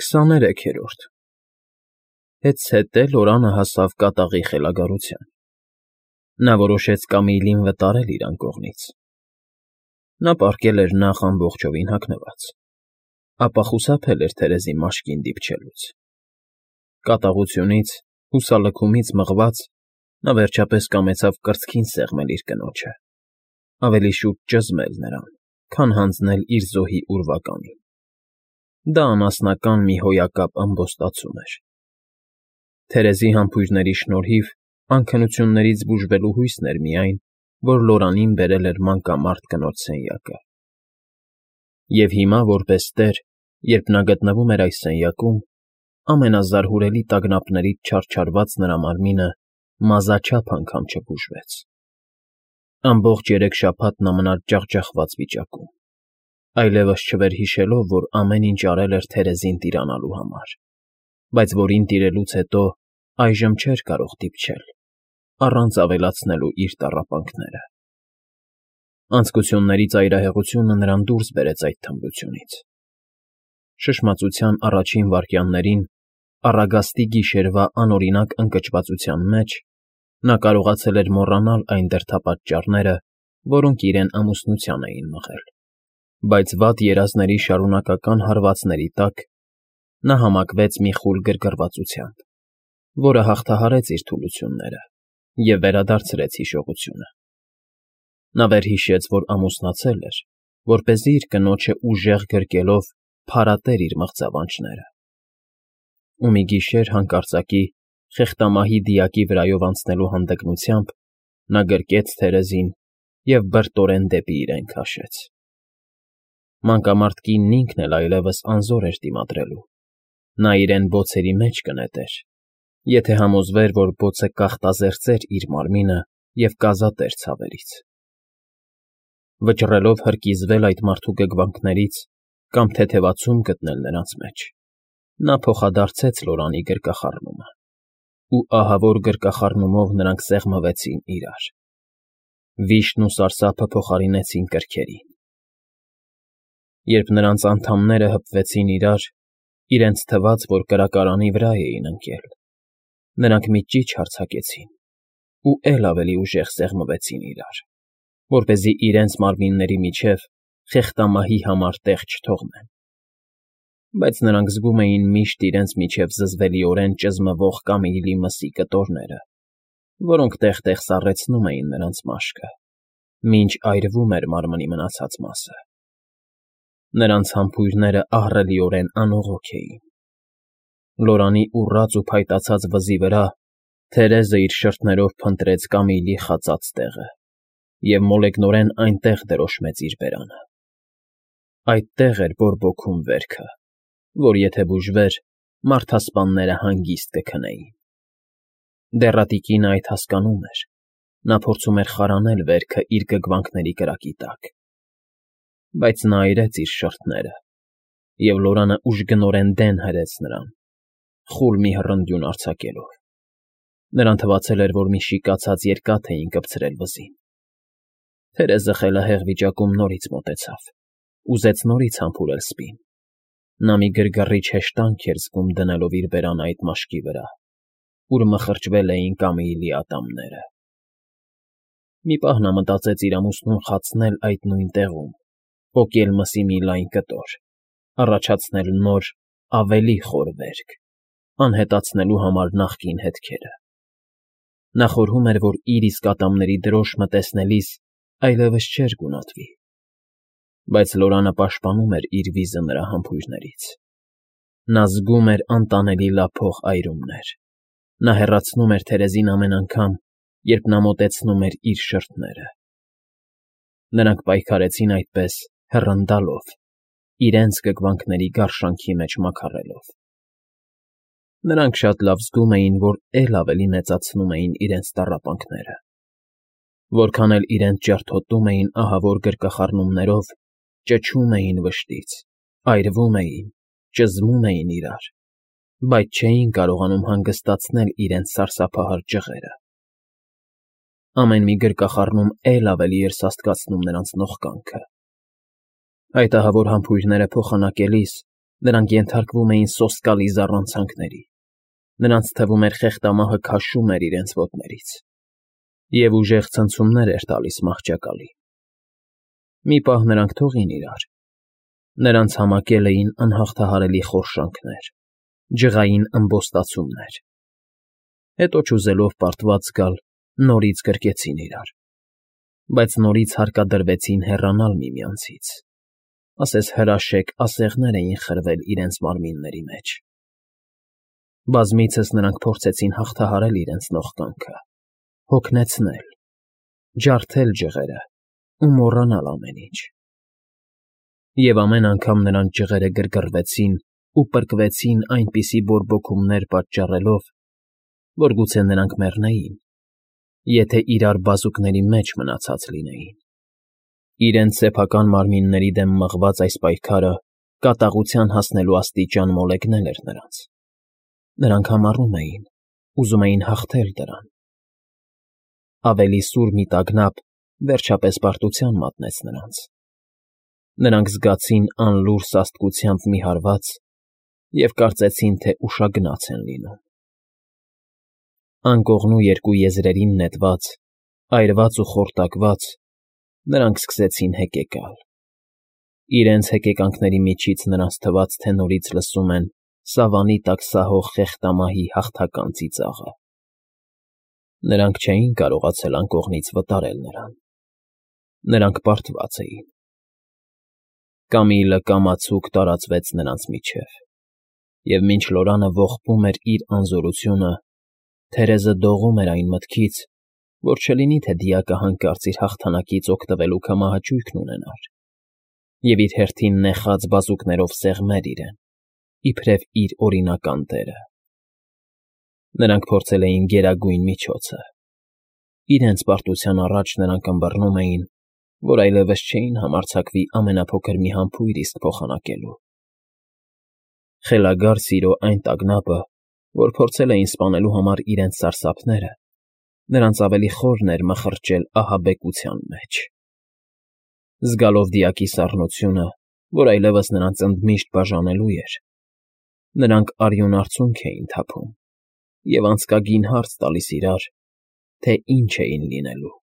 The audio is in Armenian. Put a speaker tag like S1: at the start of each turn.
S1: 23-րդ Հետզհետե Լորանը հասավ կատաղի խելագարության. նա որոշեց Կամիլին վտարել իր անկողնից. նա պառկել էր նախ ամբողջովին հագնված, ապա խուսափել էր Թերեզի մաշկին դիպչելուց. կատաղությունից, հուսալքումից մղված, նա վերջապես կամեցավ կրծքին սեղմել իր կնոջը, ավելի շուտ ճզմել նրան, քան հանձնել իր զոհի ուրվականին. դա անասնական մի հոյակապ ըմբոստացում էր. Թերեզի համբույրների շնորհիվ անքնություններից բուժվելու հույսն էր միայն, որ Լորանին բերել էր մանկամարտ կնոջ սենյակը. և հիմա, որպես տեր, երբ նա գտնվում էր այս սենյակում, ամենազարհուրելի տագնապներից չարչարված նրա մարմինը մազաչափ անգամ չբուժվեց. ամբողջ 3 շաբաթ նա մնաց ջախջախված վիճակում, այլևս չվերհիշելով, որ ամեն ինչ արել էր Թերեզին տիրանալու համար, բայց որին տիրելուց հետո այժմ չէր կարող դիպչել, առանց ավելացնելու իր տառապանքները. Անձկությունների ծայրահեղությունը նրան դուրս բերեց այդ թմրությունից. շշմածության առաջին վայրկյաններին, առագաստի գիշերվա անօրինակ ընկճվածության մեջ, նա կարողացել էր մոռանալ այն դրդապատճառները, որոնք իրեն ամուսնության էին մղել, բայց վատ երազների շարունակական հարվածների տակ նա համակվեց մի խուլ գրգռվածությամբ, որը հաղթահարեց իր թուլությունները և վերադարձրեց հիշողությունը. նա վերհիշեց, որ ամուսնացել էր, որպեսզի իր կնոջը ուժեղ գրկելով փարատեր իր մղձավանջները, ու մի գիշեր հանկարծակի խեղտամահի դիակի վրայով անցնելու հանդգնությամբ նա գրկեց Թերեզին և բրտորեն դեպի իրեն քաշեց. Մանկամարտ կինն ինքն էլ այլևս անզոր էր դիմադրելու, նա իրեն բոցերի մեջ կնետեր, եթե համոզվեր, որ բոցը կախտազերծեր իր մարմինը և կազատեր ցավերից. վճռելով հրկիզվել այդ մարդու գգվանքներից կամ թեթևացում գտնել նրանց մեջ, նա փոխադարձեց Լորանի գրկախառնումը, ու ահավոր գրկախառնումով նրանք սեղմվեցին իրար. վիշտն ու սարսափը փոխարինեցին կրքերին. Երբ նրանց անդամները հպվեցին իրար, իրենց թվաց, որ կրակարանի վրա էին ընկել, նրանք մի ճիչ հարձակեցին ու էլ ավելի ուժեղ սեղմվեցին իրար, որպեսզի իրենց մարմինների միջև խեղտամահի համար տեղ չթողնեն, բայց նրանք զգում էին միշտ իրենց միջև զզվելիորեն ճզմվող Կամիլի մսի կտորները, որոնք տեղ֊տեղ սառեցնում էին նրանց մաշկը, մինչ այրվում էր մարմնի մնացած մասը. նրանց համբույրները ահռելիորեն անողոք էին. Լորանի ուռած ու փայտացած վզի վրա Թերեզը իր շրթներով փնտրեց Կամիլի խածած տեղը և մոլեգնորեն այնտեղ դրոշմեց իր բերանը. այդտեղ էր բորբոքում վերքը, որ եթե բուժվեր, մարդասպանները հանգիստ կքնեին. դեռատիկինը այդ հասկանում էր, նա փորձում էր խարանել վերքը իր գգվանքների կրակի տակ, բայց նա այրեց իր շրթները, և Լորանը ուժգնորեն դեն հրեց նրան, խուլ մի հռնդյուն արձակելով. նրան թվացել էր, որ մի շիկացած երկաթ էին կպցրել վզին. Թերեզը խելահեղ վիճակում նորից մոտեցավ, ուզեց նորից համբուրել սպին. նա մի գրգռիչ հեշտանք էր զգում դնելով իր բերանը այդ մաշկի վրա, ուր մխրճվել էին Կամիլի ատամները. մի պահ նա մտածեց իր ամուսնուն խացնել այդ նույն տեղում, պոկել մսի մի լայն կտոր, առաջացնել նոր, ավելի խոր վերք, անհետացնելու համար նախկին հետքերը. նա խորհում էր, որ իր իսկ ատամների դրոշմը տեսնելիս այլևս չէր գունատվի, բայց Լորանը պաշտպանում էր իր վիզը նրա համբույրներից. նա զգում էր անտանելի լափող այրումներ, նա հեռացնում էր Թերեզին ամեն անգամ, երբ նա մոտեցնում էր իր շրթները. նրանք պայքարեցին այդպես, հեռանդալով, իրենց գգվանքների գարշանքի մեջ մաքարելով. նրանք շատ լավ զգում էին, որ էլ ավելի մեծացնում էին իրենց տառապանքները, որքան էլ իրենց ջարդոտում էին ահավոր գրկախառնումներով, ճչում էին վշտից, այրվում էին, ճզմում էին իրար, բայց չէին կարողանում հանգստացնել իրենց սարսափահար ջղերը. ամեն մի գրկախառնում էլ ավելի էր սաստկացնում նրանց նողկանքը. այդ ահավոր համբույրները փոխանակելիս Նրանք ենթարկվում էին սոսկալի զառանցանքների, նրանց թվում էր խեղդամահը քաշում էր իրենց ոտներից և ուժեղ ցնցումներ էր տալիս մահճակալին։ Մի պահ նրանք թողին իրար, նրանց համակել էին անհաղթահարելի խորշանքներ, ջղային ըմբոստացումներ, հետո չուզելով պարտված գալ, նորից գրկեցին իրար, բայց նորից հարկադրվեցին հեռանալ միմյանցից, ասես հրաշեկ ասեղներ էին խրվել իրենց մարմինների մեջ։ Բազմիցս նրանք փորձեցին հաղթահարել իրենց նողկանքը, հոգնեցնել, ջարդել ջղերը ու մոռանալ ամեն ինչ։ Եվ ամեն անգամ նրանց ջղերը գրգռվեցին ու պրկվեցին այնպիսի բորբոքումներ պատճառելով, որ գուցե նրանք մեռնեին, եթե իրար բազուկների մեջ մնացած լինեին։ Իրենց սեփական մարմինների դեմ մղված այս պայքարը կատաղության հասնելու աստիճան մոլեգնել էր նրանց։ Նրանք համառում էին, ուզում էին հաղթել դրան։ Ավելի սուր մի տագնապ վերջապես պարտության մատնեց նրանց։ Նրանք զգացին անլուռ սաստկությամբ մի հարված և կարծեցին, թե ուշագնաց են լինում։ Անկողնու երկու եզրերին նետված, այրված ու խորտակված, նրանք սկսեցին հեկեկալ։ Իրենց հեկեկանքների միջից նրանց թվաց, թե նորից լսում են սավանի տակ սահող խեղդամահի հաղթական ծիծաղը։ Նրանք չէին կարողացել անկողնից վտարել նրան։ Նրանք պարտված էին։ Կամիլը կամացուկ տարածվեց նրանց միջև, և մինչ Լորանը ողբում էր իր անզորությունը, Թերեզը դողում էր այն մտքից, որ չլինի թե դիակը հանկարծ իր հաղթանակից օգտվելու կամահաճույքն ունենար և իր հերթին նեխած բազուկներով սեղմեր իրեն, իբրև իր օրինական տերը։ Նրանք փորձել էին գերագույն միջոցը։ Իրենց պարտության առաջ նրանք ըմբռնում էին, որ այլևս չէին համարձակվի ամենափոքր մի համբույր իսկ փոխանակելու։ Խելագար սիրո այն տագնապը, որ փորձել էին սպանելու համար իրենց սարսափները, նրանց ավելի խորն էր մխրճել ահաբեկության մեջ։ Զգալով դիակի սառնությունը, որ այլևս նրանց ընդմիշտ բաժանելու էր, նրանք արյուն արցունք էին թափում և անցկագին հարց տալիս իրար, թե ինչ էին լինելու։